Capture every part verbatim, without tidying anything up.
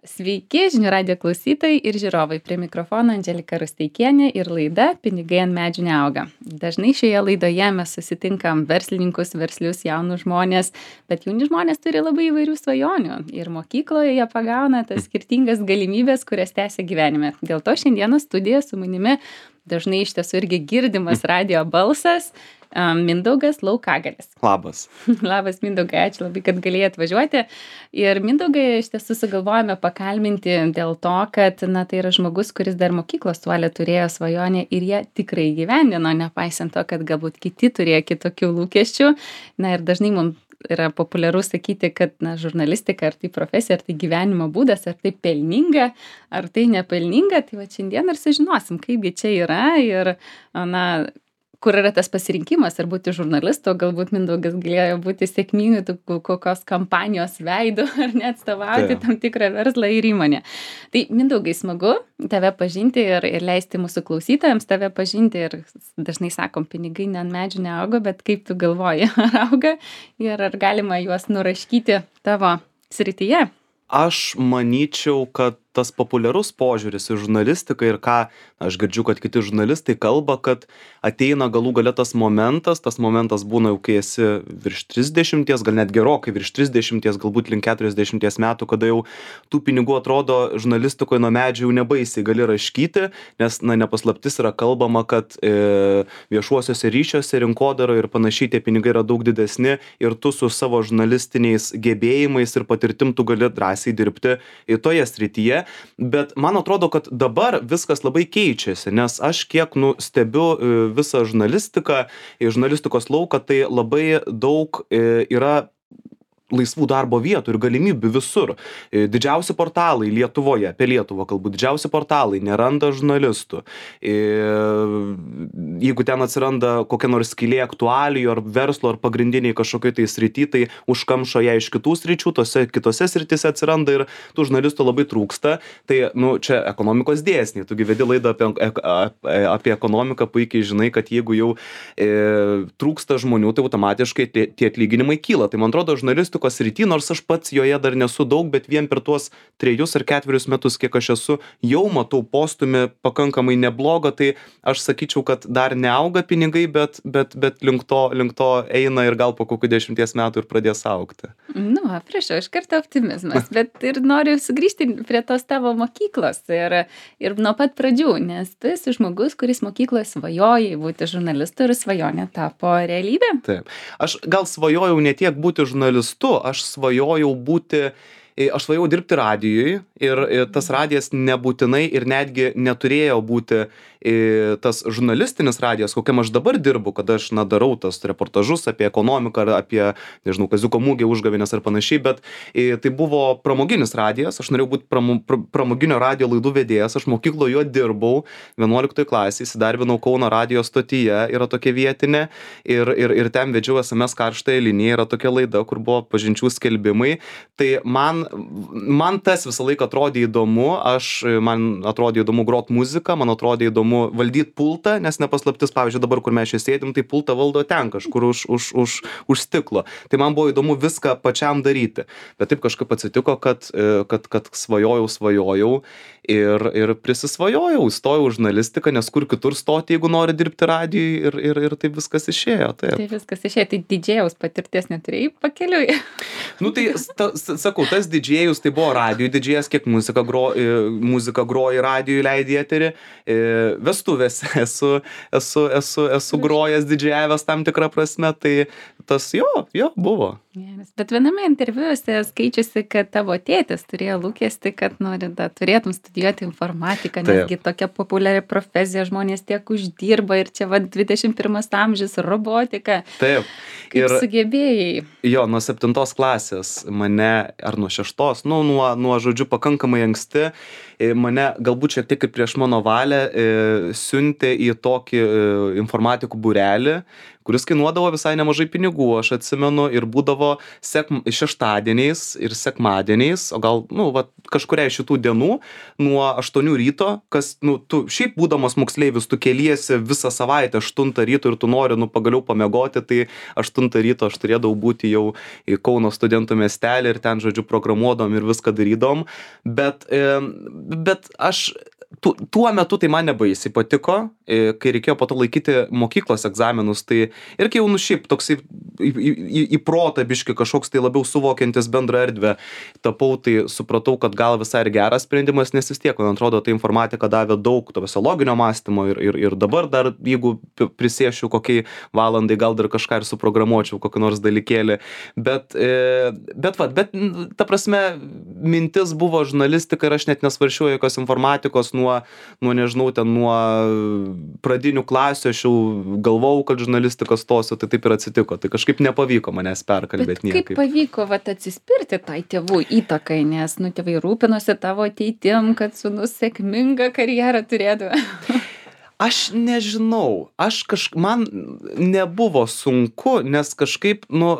Sveiki, žinių radijo klausytojai ir žiūrovai. Prie mikrofono Andželika Rusteikienė ir laida Pinigai ant medžių neauga. Dažnai šioje laidoje mes susitinkam verslininkus, verslius, jaunus žmonės, bet jauni žmonės turi labai įvairių svajonių ir mokykloje jie pagauna tas skirtingas galimybės, kurias tęsia gyvenime. Dėl to šiandieną studijoje su manimi dažnai iš tiesų irgi girdimas radijo balsas. Mindaugas Laukagalis. Labas. Labas, Mindaugai, ačiū labai, kad galėjai atvažiuoti. Ir Mindaugai iš tiesų sugalvojame pakalbinti dėl to, kad na, tai yra žmogus, kuris dar mokyklos suolė turėjo svajonę ir jie tikrai gyvendino, nepaisant to, kad galbūt kiti turėjo kitokių lūkesčių. Na ir dažnai mums yra populiaru sakyti, kad na, žurnalistika, ar tai profesija, ar tai gyvenimo būdas, ar tai pelninga, ar tai nepelninga. Tai va šiandien ir sužinosim, kaipgi čia yra ir na, kur yra tas pasirinkimas, ar būti žurnalistu, galbūt Mindaugas galėjo būti sėkmingai kokios kampanijos veidu, ar net atstovauti tam tikrą verslą ir įmonę. Tai Mindaugai smagu tave pažinti ir, ir leisti mūsų klausytojams tave pažinti ir dažnai sakom, pinigai ne ant medžių neauga, bet kaip tu galvoji, ar auga ir ar galima juos nuraškyti tavo srityje? Aš manyčiau, kad tas populiarus požiūris į žurnalistiką ir ką aš girdžiu, kad kiti žurnalistai kalba, kad ateina galų gale tas momentas, tas momentas būna jau kai esi virš trisdešimties, gal net gerokai virš trisdešimties, galbūt link keturiasdešimties metų, kada jau tų pinigų atrodo žurnalistikoje nuo medžių jau nebaisiai gali raškyti, nes na, nepaslaptis yra kalbama, kad e, viešuosiuose ryšiuose, rinkodaroje ir panašiai tie pinigai yra daug didesni ir tu su savo žurnalistiniais gebėjimais ir patirtim tu gali drąsiai dirbti į toje srityje. Bet man atrodo, kad dabar viskas labai keičiasi, nes aš kiek nu, stebiu visą žurnalistiką, žurnalistikos lauką, tai labai daug yra laisvų darbo vietų ir galimybių visur. Didžiausi portalai Lietuvoje, apie Lietuvą kalbu, didžiausi portalai neranda žurnalistų. Jeigu ten atsiranda kokia nors skylė aktualijų ar verslo ar pagrindiniai kažkokiai tai srity, tai užkamšo ją iš kitų sričių, tose kitose srityse atsiranda ir tų žurnalistų labai trūksta. Tai, nu, čia ekonomikos dėsniai. Tu vedi laidą apie, apie ekonomiką, puikiai žinai, kad jeigu jau e, trūksta žmonių, tai automatiškai tie, tie atlyginimai kyla. Tai man atrodo, žurnalistų srity, nors aš pats joje dar nesu daug, bet vien per tuos trejus ar ketverius metus, kiek aš esu, jau matau postumį pakankamai neblogą, tai aš sakyčiau, kad dar neauga pinigai, bet, bet, bet link to, link to eina ir gal po kokių dešimties metų ir pradės augti. Nu, prašau, iš karto optimizmas, bet ir noriu sugrįžti prie tos tavo mokyklos ir, ir nuo pat pradžių, nes tu esi žmogus, kuris mokykloje svajojai būti žurnalistu ir svajonė tapo realybė. Taip. Aš gal svajojau ne tiek būti žurnalistu, aš svajojau būti, aš svajojau dirbti radijui ir tas radijas nebūtinai ir netgi neturėjo būti tas žurnalistinis radijas, kokiam aš dabar dirbu, kad aš na, darau tas reportažus apie ekonomiką ar apie, nežinau, Kaziuko mugę, užgavėnes ar panašiai, bet tai buvo pramoginis radijas, aš norėjau būti pramo, pramoginio radijo laidų vedėjas, aš mokykloje jo dirbau, vienuoliktoj klasėje, įsidarbinau Kauno radijo stotyje, yra tokia vietinė ir, ir, ir ten vedžiau es em es karštąją liniją, yra tokia laida, kur buvo pažinčių skelbimai, tai man, man tas visą laiką atrodė įdomu, aš, man atrodė įdomu grot muziką, man atrodė įdomu valdyti pultą, nes nepaslaptis, pavyzdžiui, dabar, kur mes čia sėdim, tai pultą valdo ten kažkur už, už, už, už stiklo. Tai man buvo įdomu viską pačiam daryti. Bet taip kažkaip atsitiko, kad, kad, kad svajojau, svajojau ir, ir prisisvajojau, stojau už žurnalistiką, nes kur kitur stoti, jeigu nori dirbti radijui ir, ir, ir taip viskas išėjo. Taip. Tai viskas išėjo, tai didžėjaus patirties neturėjai pakeliui. Nu tai, ta, sakau, tas didžėjus, tai buvo radijui didžėjas, kiek muzika, gro, muzika groji radijui, leidai eterį. Vestuvėse esu, esu, esu, esu grojęs, didžiavęs tam tikrą prasme, tai tas jo, jo buvo. Bet viename interviu esi skaičiusi, kad tavo tėtis turėjo lūkestį, kad nori, da, turėtum studijuoti informatiką, nesgi tokia populiari profesija, žmonės tiek uždirba ir čia va dvidešimt pirmas amžius, robotika. Taip. Kaip ir sugebėjai? Jo, nuo septintos klasės mane, ar nuo šeštos, nu, nuo, nuo žodžiu, pakankamai anksti, mane galbūt šiek tiek ir prieš mano valią siuntė į tokį informatikų būrelį, kuris kainuodavo visai nemažai pinigų, aš atsimenu, ir būdavo sek... šeštadieniais ir sekmadieniais, o gal, nu, va, kažkuriai šitų dienų nuo aštuonių ryto, kas, nu, tu šiaip būdamas moksleivis, tu keliesi visą savaitę aštuntą ryto ir tu nori, nu, pagaliau pamiegoti, tai aštuntą ryto aš turėdavau būti jau į Kauno studentų miestelį ir ten, žodžiu, programuodom ir viską darydom, bet, e, bet aš tu, tuo metu tai man nebaisiai patiko, e, kai reikėjo po to laikyti mokyklos egzaminus, tai ir kai jau, nu, šiaip toksai į, į, į protą biški kažkoks tai labiau suvokiantis bendrą erdvę tapau, tai supratau, kad gal visai ir geras sprendimas, nes vis tiek, man atrodo, ta informatika davė daug to loginio mąstymo ir, ir, ir dabar dar, jeigu prisėšiu kokiai valandai, gal dar kažką ir suprogramuočiau, kokį nors dalykėlį, bet, e, bet, va, bet, ta prasme, mintis buvo žurnalistika ir aš net nesvaršiau jokios informatikos nuo, nuo, nežinau, ten nuo pradinių klasių, aš jau galvojau, kad žurnalistiką stosiu, tai taip ir atsitiko, tai kažkaip nepavyko manęs perkalbėti niekaip. Kaip pavyko, vat, atsispirti tai tėvų įtakai, nes, nu, tėvai rūpinosi tavo ateitim, kad sūnus sėkmingą karjerą turėtų. Aš nežinau, aš kažkaip, man nebuvo sunku, nes kažkaip, nu,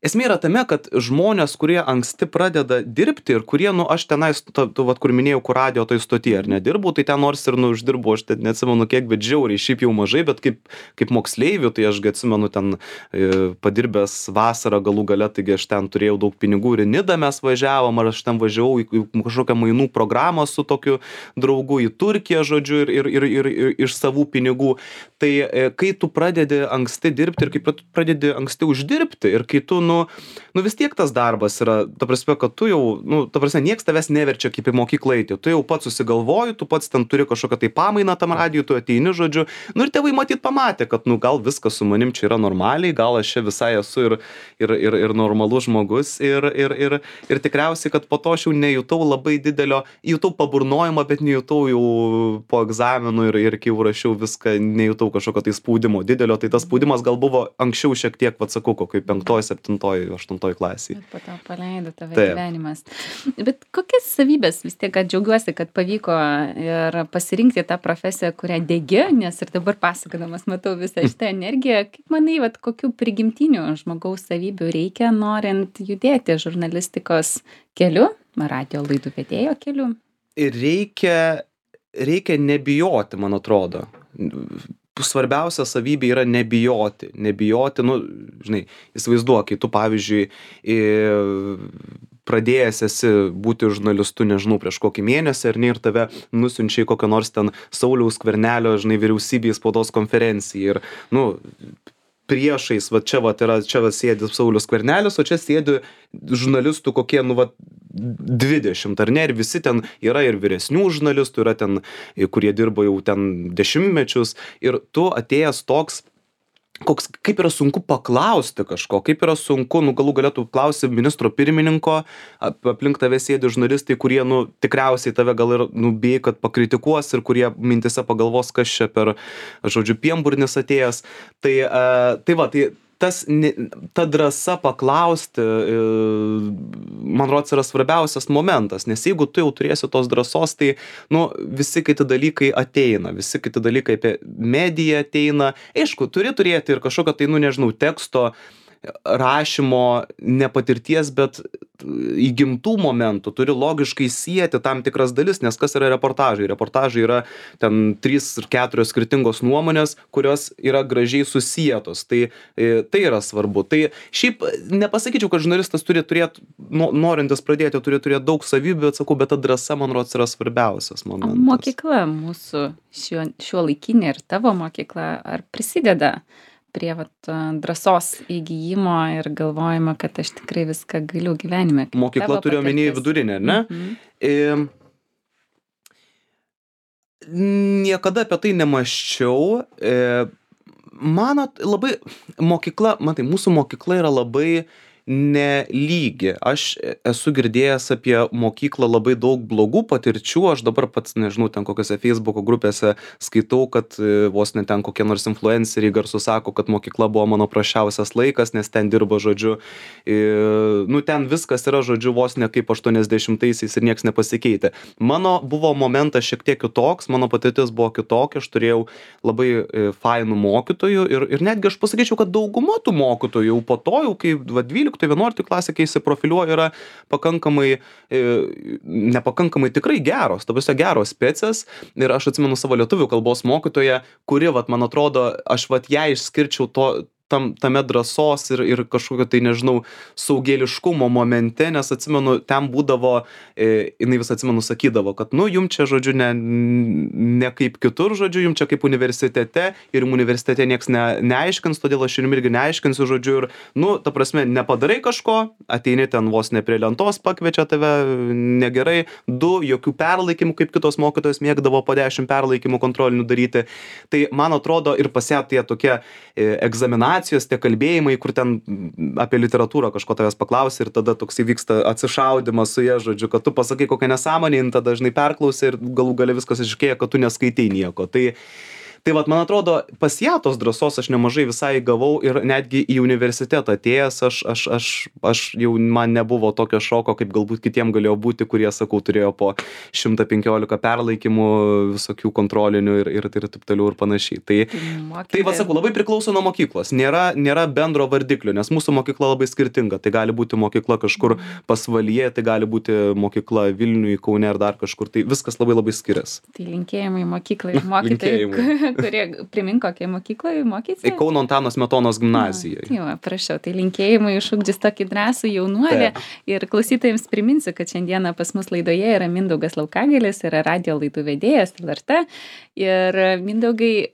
esmė yra tame, kad žmonės, kurie anksti pradeda dirbti ir kurie, nu, aš tenais, tu, tu, vat, kur minėjau, kur radio toj stoty, ar nedirbau, tai ten nors ir, nu, uždirbau, aš ten neatsimenu kiek, bet žiauriai, šiaip jau mažai, bet kaip, kaip moksleivių, tai aš atsimenu ten e, padirbęs vasarą galų gale, taigi aš ten turėjau daug pinigų ir į Nidą mes važiavom, ar aš ten važiavau į, į kažkokią mainų programą su tokiu draugu į Turkiją, žodžiu, ir, ir, ir, ir, ir iš savų pinigų. Tai e, kai tu pradedi anksti dirbti ir kai pradedi anksti uždirbti ir kai tu, nu, nu vis tiek tas darbas yra, ta prasme, kad tu jau, nu, ta prasme, nieks tavęs neverčia kaip į mokyklą eiti, tu jau pats susigalvoji, tu pats ten turi kažkokią tai pamainą tam radijui, tu ateini, žodžiu, nu ir tėvai matyt pamatė, kad, nu, gal viskas su manim čia yra normaliai, gal aš čia visai esu ir, ir, ir, ir normalus žmogus ir, ir, ir, ir tikriausiai, kad po to aš jau nejutau labai didelio, jutau paburnojimą, bet nejutau jau po egzaminų ir, ir kai jau rašiau viską, nejutau kažkokio tai spaudimo didelio, tai tas spaudimas gal buvo anksčiau šiek tiek, vat sakau, kokioj penktoj, septintoj, aštuntoj klasėj. Bet po to paleido tave Taip. gyvenimas. Bet kokias savybės, vis tiek, kad džiaugiuosi, kad pavyko ir pasirinkti tą profesiją, kurią degi, nes ir dabar pasakodamas matau visą šitą energiją. Kaip manai, vat, kokių prigimtinių žmogaus savybių reikia, norint judėti žurnalistikos keliu, radio laidų vedėjo keliu? Ir reikia, reikia nebijoti, man atrodo. Svarbiausia savybė yra nebijoti. Nebijoti, nu, žinai, įsivaizduok, kai tu, pavyzdžiui, į, pradėjęs esi būti žurnalistu, nežinau, prieš kokį mėnesį, ar ne, ir tave nusiunčia į kokią nors ten Sauliaus Skvernelio, žinai, vyriausybės spaudos konferenciją. Ir, nu, priešais, va čia, va, yra, čia va sėdi Saulius Skvernelis, o čia sėdi žurnalistų kokie, nu, va, dvidešimt, ar ne, ir visi ten yra ir vyresnių žurnalistų, yra ten, kurie dirba jau ten dešimtmečius, ir tu atėjęs toks, koks, kaip yra sunku paklausti kažko, kaip yra sunku, nu, galų galėtų klausti ministro pirmininko, aplink tave sėdi žurnalistai, kurie, nu, tikriausiai tave gal ir, nu, bijai, kad pakritikuos ir kurie mintise pagalvos, kas čia per, žodžiu, pienburnis atėjęs. Tai, uh, tai va, tai tas, ta drąsa paklausti, man rodos, yra svarbiausias momentas, nes jeigu tu jau turėsi tos drąsos, tai, nu, visi kiti dalykai ateina, visi kiti dalykai apie mediją ateina. Aišku, turi turėti ir kažkokio, tai, nu, nežinau, teksto, rašymo, nepatirties, bet įgimtų momentų, turi logiškai sieti tam tikras dalis, nes kas yra reportažai? Reportažai yra ten trys ir keturios skirtingos nuomonės, kurios yra gražiai susietos. Tai, tai yra svarbu. Tai šiaip nepasakyčiau, kad žurnalistas turi turėti, norintis pradėti, turi turėti daug savybių, bet sakau, bet ta drąsa, man rodos, yra svarbiausias momentas. Mokykla mūsų šio, šio laikinė ir tavo mokykla, ar prisideda prie vat, drąsos įgyjimo ir galvojimo, kad aš tikrai viską galiu gyvenime? Mokykla turiu omeny vidurinę, ne? Mhm. E, niekada apie tai nemaščiau. E, manot, labai, mokykla, matai, mūsų mokykla yra labai nelygi. Aš esu girdėjęs apie mokyklą labai daug blogų patirčių, aš dabar pats, nežinau, ten kokiose Facebook'o grupėse skaitau, kad e, vos ne ten kokie nors influenceriai garsų sako, kad mokykla buvo mano prasčiausias laikas, nes ten dirba, žodžiu, e, nu ten viskas yra, žodžiu, vos ne kaip aštuoniasdešimtaisiais ir nieks nepasikeitė. Mano buvo momentas šiek tiek kitoks, mano patirtis buvo kitokia, aš turėjau labai e, fainų mokytojų ir, ir netgi aš pasakyčiau, kad dauguma tų mokytojų jau po to, jau kai va, dvyliktoje vienuoliktoje klasėje, kai įsiprofiliuoja, yra pakankamai, e, nepakankamai tikrai geros, ta prasme geros specės. Ir aš atsimenu savo lietuvių kalbos mokytoją, kuri, vat, man atrodo, aš vat ją išskirčiau to, tam, tame drąsos ir, ir kažkokio tai, nežinau, saugėliškumo momente, nes atsimenu, ten būdavo, e, jinai vis atsimenu sakydavo, kad, nu, jum čia, žodžiu, ne, ne kaip kitur, žodžiu, jum čia kaip universitete ir universitete nieks ne, neaiškins, todėl aš jum irgi neaiškinsiu, žodžiu, ir, nu, ta prasme, nepadarai kažko, ateini ten vos ne prie lentos, pakviečia tave negerai, du, jokių perlaikymų, kaip kitos mokytojos mėgdavo po dešimt perlaikymų kontrolinių daryti. Tai, man atrodo, ir pas ją tie tokie e, egzaminacijos, tie kalbėjimai, kur ten apie literatūrą kažko tavęs paklausia ir tada toks įvyksta atsišaudimas su ja, žodžiu, kad tu pasakai kokią nesąmonę, tada dažnai perklausia ir galų gale viskas iškėja, kad tu neskaitai nieko. Tai Tai vat, man atrodo, pas ją tos drąsos aš nemažai visai gavau ir netgi į universitetą atėjęs, aš, aš, aš, aš jau man nebuvo tokio šoko, kaip galbūt kitiem galėjo būti, kurie, sakau, turėjo po šimtą penkiolika perlaikymų, visokių kontrolinių ir, ir, ir taip toliau ir panašiai. Tai, tai va, sakau, labai priklauso nuo mokyklos. Nėra, nėra bendro vardiklio, nes mūsų mokykla labai skirtinga. Tai gali būti mokykla kažkur pasvalyje, tai gali būti mokykla Vilniuje, Kaune ar dar kažkur. Tai viskas labai labai skiriasi. Tai linkėjimai mokyklai ir mokytojai. Kurie, primink, kokiai mokykloje mokysi? Tai Kauno Antano Smetonos gimnazijoje. Jo, prašau, tai linkėjimai išugdys tokį drąsų jaunuolį. Ir klausytojams priminsiu, kad šiandieną pas mus laidoje yra Mindaugas Laukagalis, yra radio laidų vedėjas L R T. Ir Mindaugai,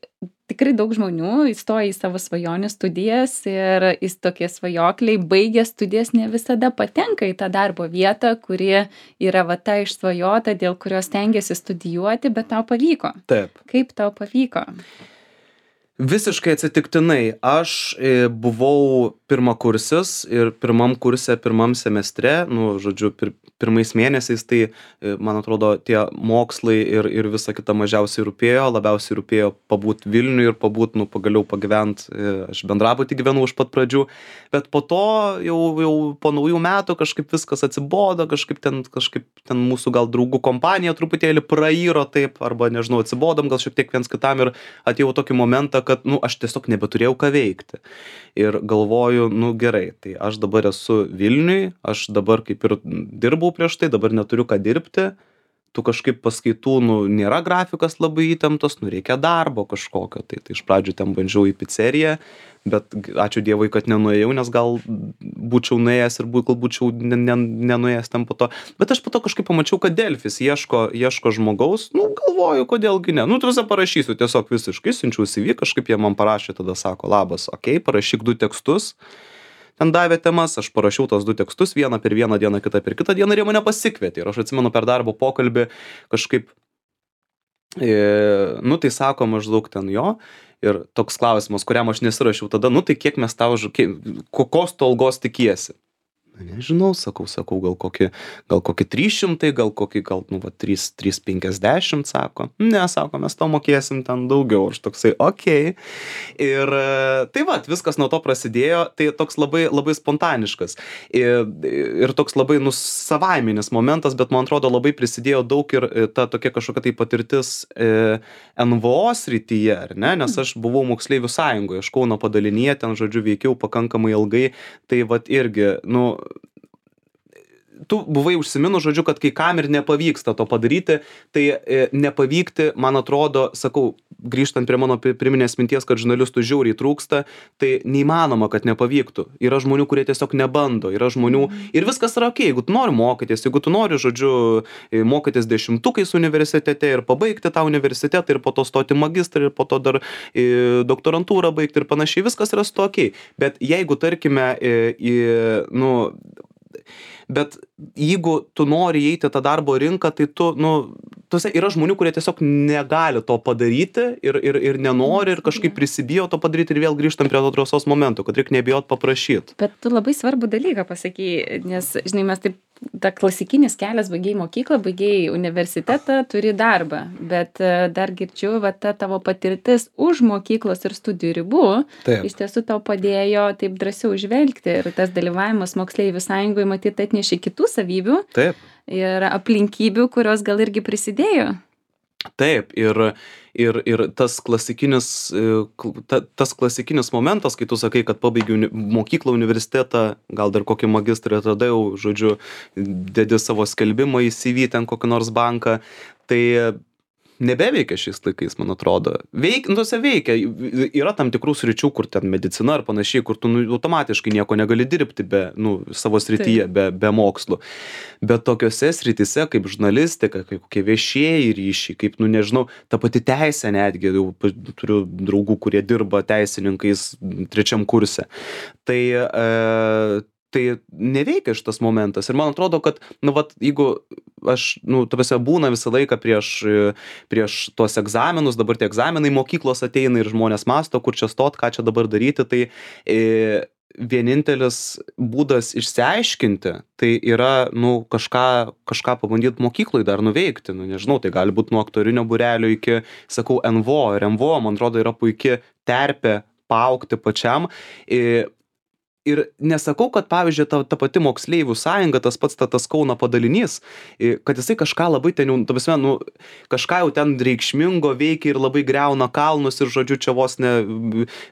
tikrai daug žmonių įstoja į savo svajonių studijas ir į tokie svajokliai, baigę studijas, ne visada patenka į tą darbo vietą, kuri yra va ta išsvajota, dėl kurios stengiasi studijuoti, bet tau pavyko. Taip. Kaip tau pavyko? Visiškai atsitiktinai. Aš e, buvau pirmakursis ir pirmam kurse, pirmam semestre, nu, žodžiu, pir, pirmais mėnesiais, tai, e, man atrodo, tie mokslai ir, ir visa kita mažiausiai rūpėjo, labiausiai rūpėjo pabūt Vilniuje ir pabūt, nu, pagaliau pagyvent, e, aš bendrabutį gyvenau iš pat pradžių, bet po to jau, jau po naujų metų kažkaip viskas atsibodo, kažkaip ten, kažkaip ten mūsų gal draugų kompanija truputėlį prairo taip, arba, nežinau, atsibodom gal šiek tiek viens kitam ir atėjau tokį momentą, kad, nu, aš tiesiog nebeturėjau ką veikti. Ir galvoju, nu, gerai, tai aš dabar esu Vilniuj, aš dabar kaip ir dirbau prieš tai, dabar neturiu ką dirbti, tu kažkaip paskaitų, nu, nėra grafikas labai įtemptas, nu, reikia darbo kažkokio. Tai, tai iš pradžių ten bandžiau į pizzeriją, bet ačiū Dievui, kad nenuėjau, nes gal būčiau nuėjęs ir gal būčiau nenuėjęs ten po to. Bet aš po to kažkaip pamačiau, kad Delfis ieško, ieško žmogaus, nu, galvoju, kodėlgi ne. Nu, tuose parašysiu tiesiog visiškai, siunčiau C V, kažkaip jie man parašė, tada sako, labas, okei, okay, parašyk du tekstus. Ten davė temas, aš parašiau tos du tekstus, vieną per vieną dieną, kitą per kitą dieną ir jie mane pasikvietė. Ir aš atsimenu per darbo pokalbį kažkaip, e, nu tai sako maždaug ten jo. Ir toks klausimas, kuriam aš nesirašiau tada, nu tai kiek mes tau, kokios tu algos tikiesi? Nežinau, sakau, sakau, gal kokį, gal kokį trys šimtai, gal kokį, gal, nu, va, trys šimtai penkiasdešimt, sako. Ne, sako, mes to mokėsim ten daugiau. Aš toksai, okei. Okay. Ir tai va, viskas nuo to prasidėjo, tai toks labai, labai spontaniškas. Ir, ir toks labai, nu, savaiminis momentas, bet man atrodo labai prisidėjo daug ir ta tokia kažkokia tai patirtis e, N V O srityje, ar ne? Nes aš buvau moksleivių sąjungoje, aš Kauno padalinyje, ten, žodžiu, veikiau pakankamai ilgai, tai va irgi, nu, tu buvai užsiminus, žodžiu, kad kai kam ir nepavyksta to padaryti, tai e, nepavykti, man atrodo, sakau, grįžtant prie mano priminės minties, kad žurnalistų žiauriai trūksta, tai neįmanoma, kad nepavyktų. Yra žmonių, kurie tiesiog nebando, yra žmonių ir viskas yra okei, jeigu tu nori mokytis, jeigu tu nori, žodžiu, mokytis dešimtukais universitete ir pabaigti tą universitetą ir po to stoti magistrą ir po to dar e, doktorantūrą baigti ir panašiai, viskas yra su to okei. Bet jeigu, tarkime, e, e, nu, bet jeigu tu nori įeiti tą darbo rinką, tai tu, nu, tuose yra žmonių, kurie tiesiog negali to padaryti ir, ir, ir nenori ir kažkaip prisibijo to padaryti ir vėl grįžtam prie to drąsos momento, kad reikia nebijot paprašyti. Bet tu labai svarbų dalyką pasakei, nes, žinai, mes taip, ta klasikinis kelias, baigiai mokyklą, baigiai universitetą, turi darbą, bet dar girdžiu, va, ta tavo patirtis už mokyklos ir studijų ribų, taip, iš tiesų tau padėjo taip drąsiau žvelgti ir tas dalyvavimas moksleivių sąjungoje matyti atnešė kitų savybių. Taip. Ir aplinkybių, kurios gal irgi prisidėjo. Taip, ir, ir, ir tas klasikinis, ta, tas klasikinis momentas, kai tu sakai, kad pabaigiau mokyklą, universitetą, gal dar kokį magistrą atradau, žodžiu, dedi savo skelbimą į C V ten kokį nors banką, tai nebeveikia šiais laikais, man atrodo. Veik, nu, se veikia. Yra tam tikrų sričių, kur ten medicina ar panašiai, kur tu nu, automatiškai nieko negali dirbti be, nu, savo srityje, be, be mokslų. Bet tokiose srityse, kaip žurnalistika, kaip kokie viešieji ryšiai, kaip, nu, nežinau, ta pati teisė netgi, jau turiu draugų, kurie dirba teisininkais trečiam kurse. Tai, e, tai neveikia šitas momentas. Ir man atrodo, kad, nu, vat, jeigu aš, nu, tavęs būna visą laiką prieš, prieš tuos egzaminus, dabar tie egzaminai mokyklos ateina ir žmonės mąsto, kur čia stot, ką čia dabar daryti, tai e, vienintelis būdas išsiaiškinti, tai yra, nu, kažką, kažką pabandyti mokyklai dar nuveikti, nu, nežinau, tai gali būti nuo aktorinio būrelio iki, sakau, N V O, ir N V O, man atrodo, yra puikia terpė paaugti pačiam. E, Ir nesakau, kad, pavyzdžiui, ta, ta pati moksleivių sąjunga, tas pats ta, tas Kauno padalinys, kad jisai kažką labai ten jau, ta prasme, nu, kažką jau ten reikšmingo veikia ir labai greuna kalnus ir, žodžiu, čia vos ne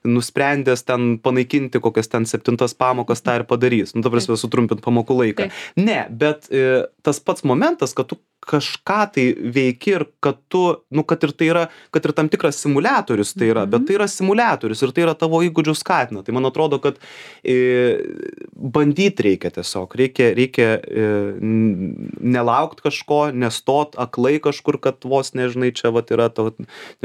nusprendęs ten panaikinti kokias ten septintas pamokas, tą ir padarys. Nu, ta prasme, sutrumpint pamokų laiką. Ne, bet e, tas pats momentas, kad tu kažką tai veiki ir kad tu, nu, kad ir tai yra, kad ir tam tikras simuliatorius tai yra, bet tai yra simuliatorius ir tai yra tavo įgūdžių skatina. Tai man atrodo, kad e, bandyti reikia tiesiog, reikia, reikia e, nelaukti kažko, nestot aklai kažkur, kad vos nežinai, čia vat yra to,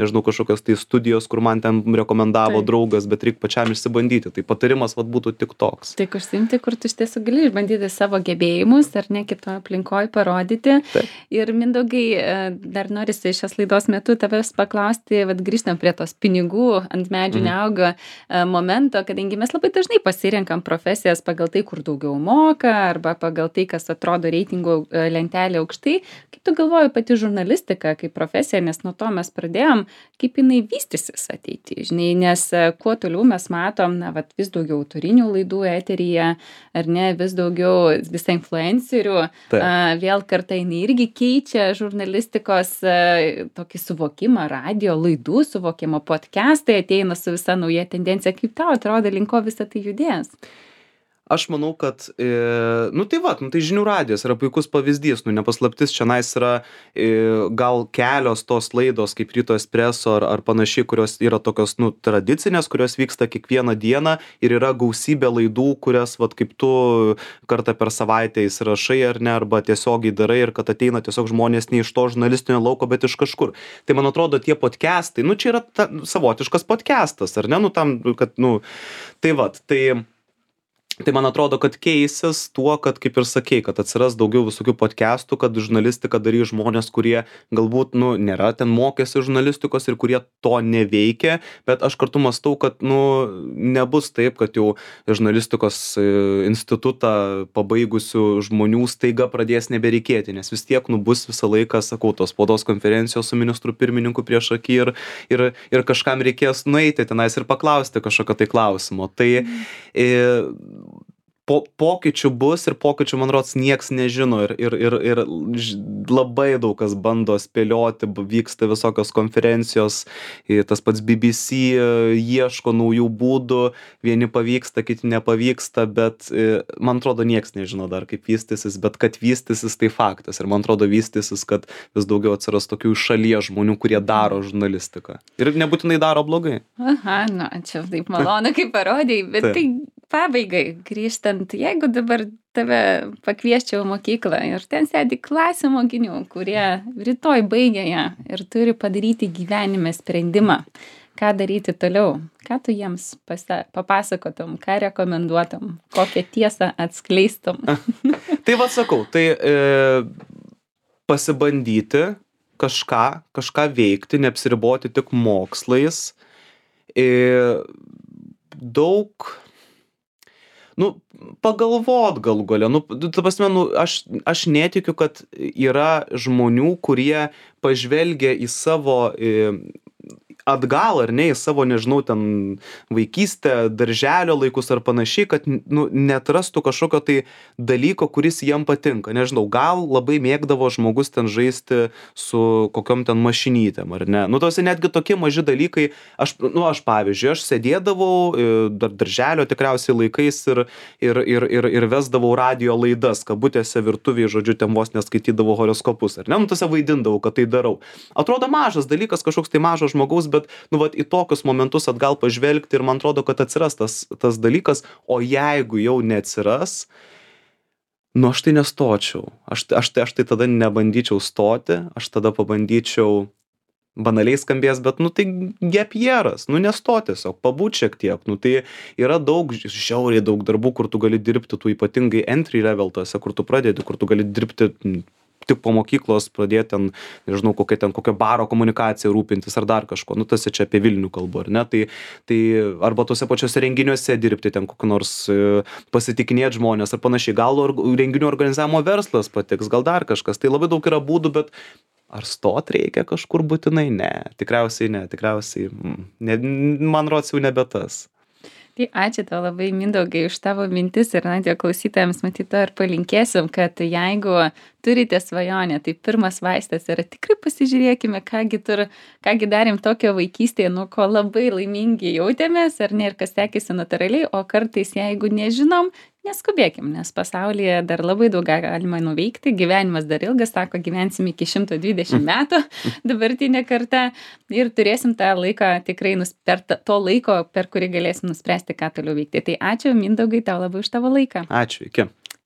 nežinau, kažkokios tai studijos, kur man ten rekomendavo Taip. draugas, bet reikia pačiam išsibandyti. Tai patarimas vat būtų tik toks. Tik užsiimti, kur tu iš tiesų gali išbandyti savo gebėjimus ar ne kitoje aplinkoje parodyti. Taip. Ir Mindaugai, dar norisi šios laidos metu tavęs paklausti, vat grįžtam prie tos pinigų ant medžių mm. neauga momento, kadangi mes labai dažnai pasirenkam profesijas pagal tai, kur daugiau moka, arba pagal tai, kas atrodo reitingų lentelė aukštai. Kaip tu galvoji pati žurnalistika kaip profesija, nes nuo to mes pradėjom, kaip jinai vystysis ateity, žinai, nes kuo toliau mes matom, na, vat vis daugiau autorinių laidų eteryje, ar ne, vis daugiau visą influencerių, a, vėl kartą jinai irgi keičia žurnalistikos a, tokį suvokimą, radio laidų suvokimą, podcastai ateina su visa nauja tendencija. Kaip tau atrodo, link ko visą tai judės? Aš manau, kad, e, nu tai va, nu tai žinių radijas yra puikus pavyzdys, nu nepaslaptis, čianais yra e, gal kelios tos laidos kaip Ryto Espresso ar, ar panašiai, kurios yra tokios, nu, tradicinės, kurios vyksta kiekvieną dieną ir yra gausybė laidų, kurias, vat, kaip tu kartą per savaitę įsirašai ar ne, arba tiesiogiai darai ir kad ateina tiesiog žmonės ne iš to žurnalistinio lauko, bet iš kažkur. Tai man atrodo, tie podcastai, nu čia yra ta, savotiškas podcastas, ar ne, nu tam, kad, nu, tai vat, tai... Tai man atrodo, kad keisis tuo, kad, kaip ir sakei, kad atsiras daugiau visokių podcastų, kad žurnalistiką darys žmonės, kurie galbūt, nu, nėra ten mokėsi žurnalistikos ir kurie to neveikia, bet aš kartu mąstau, kad, nu, nebus taip, kad jau žurnalistikos institutą pabaigusių žmonių staiga pradės nebereikėti, nes vis tiek, nu, bus visą laiką, sakau, tos spaudos konferencijos su ministru pirmininku prieš akį ir, ir, ir kažkam reikės nueiti tenais ir paklausti kažkokio tai klausimo. Tai e, Po, pokyčių bus ir pokyčių, man rods, nieks nežino ir, ir, ir, ir labai daug kas bando spėlioti, vyksta visokios konferencijos, tas pats B B C ieško naujų būdų, vieni pavyksta, kiti nepavyksta, bet man atrodo, nieks nežino dar, kaip vystysis, bet kad vystysis, tai faktas. Ir man atrodo, vystysis, kad vis daugiau atsiras tokių šalies žmonių, kurie daro žurnalistiką. Ir nebūtinai daro blogai. Aha, nu, čia taip malonu, kaip parodėjai, bet tai pabaigai, grįžtant, jeigu dabar tave pakviesčiau mokyklą ir ten sėdi klasė mokinių, kurie rytoj baigia ją ir turi padaryti gyvenime sprendimą, ką daryti toliau, ką tu jiems pasa, papasakotum, ką rekomenduotum, kokią tiesą atskleistum. Tai va sakau, tai e, pasibandyti, kažką kažką veikti, neapsiriboti tik mokslais. Ir daug, nu, pagalvot galų gale, nu, ta prasme, nu, aš, aš netikiu, kad yra žmonių, kurie pažvelgia į savo į, atgal ar ne, į savo, nežinau, ten vaikystę, darželio laikus ar panašiai, kad, nu, neatrastų kažkokio tai dalyko, kuris jiem patinka. Nežinau, gal labai mėgdavo žmogus ten žaisti su kokiom ten mašinytėm, ar ne. Nu, tos netgi tokie maži dalykai, aš, nu, aš pavyzdžiui, aš sėdėdavau dar darželio tikriausiai laikais ir, ir, ir, ir, ir vesdavau radijo laidas, kabutėse virtuvėje, žodžiu, ten vos neskaitydavau horoskopus, ar ne, nu, tose vaidindavau, kad tai darau. Atrodo mažas dalykas, kažkoks tai mažo žmogaus, bet, nu, vat, į tokius momentus atgal pažvelgti ir man atrodo, kad atsiras tas, tas dalykas, o jeigu jau neatsiras, nu, aš tai nestočiau. Aš, aš, tai, aš tai tada nebandyčiau stoti, aš tada pabandyčiau, banaliai skambės, bet, nu, tai gap yearas, nu, nestot tiesiog, pabūt šiek tiek, nu, tai yra daug, žiauriai daug darbų, kur tu gali dirbti, tu ypatingai entry level tose, kur tu pradedi, kur tu gali dirbti tik po mokyklos, pradėti ten, nežinau, kokia ten, kokia baro komunikacija rūpintis ar dar kažko, nu, tas čia apie Vilnių kalbu, ar ne, tai, tai arba tose pačiose renginiuose dirbti, ten kokį nors pasitikinėti žmonės ar panašiai, gal or, renginių organizavimo verslas patiks, gal dar kažkas, tai labai daug yra būdų, bet ar stot reikia kažkur būtinai? Ne, tikriausiai ne, tikriausiai, ne, man rods jau nebe tas. Tai ačiū tau labai, Mindaugai, už tavo mintis ir radijo klausytojams matyt to ir palinkėsim, kad jeigu turite svajonę, tai pirmas vaistas yra tikrai pasižiūrėkime, kągi, tur, kągi darėm tokio vaikystėje, nuo ko labai laimingi jautėmės, ar ne, ir kas sekėsi natūraliai, o kartais jeigu nežinom, neskubėkim, nes pasaulyje dar labai daug galima nuveikti, gyvenimas dar ilgas, sako, gyvensim iki šimto dvidešimt metų dabartinė karta ir turėsim tą laiką tikrai nus, per to laiko, per kurį galėsim nuspręsti, ką toliau veikti. Tai ačiū, Mindaugai, tau labai už tavo laiką. Ačiū, iki.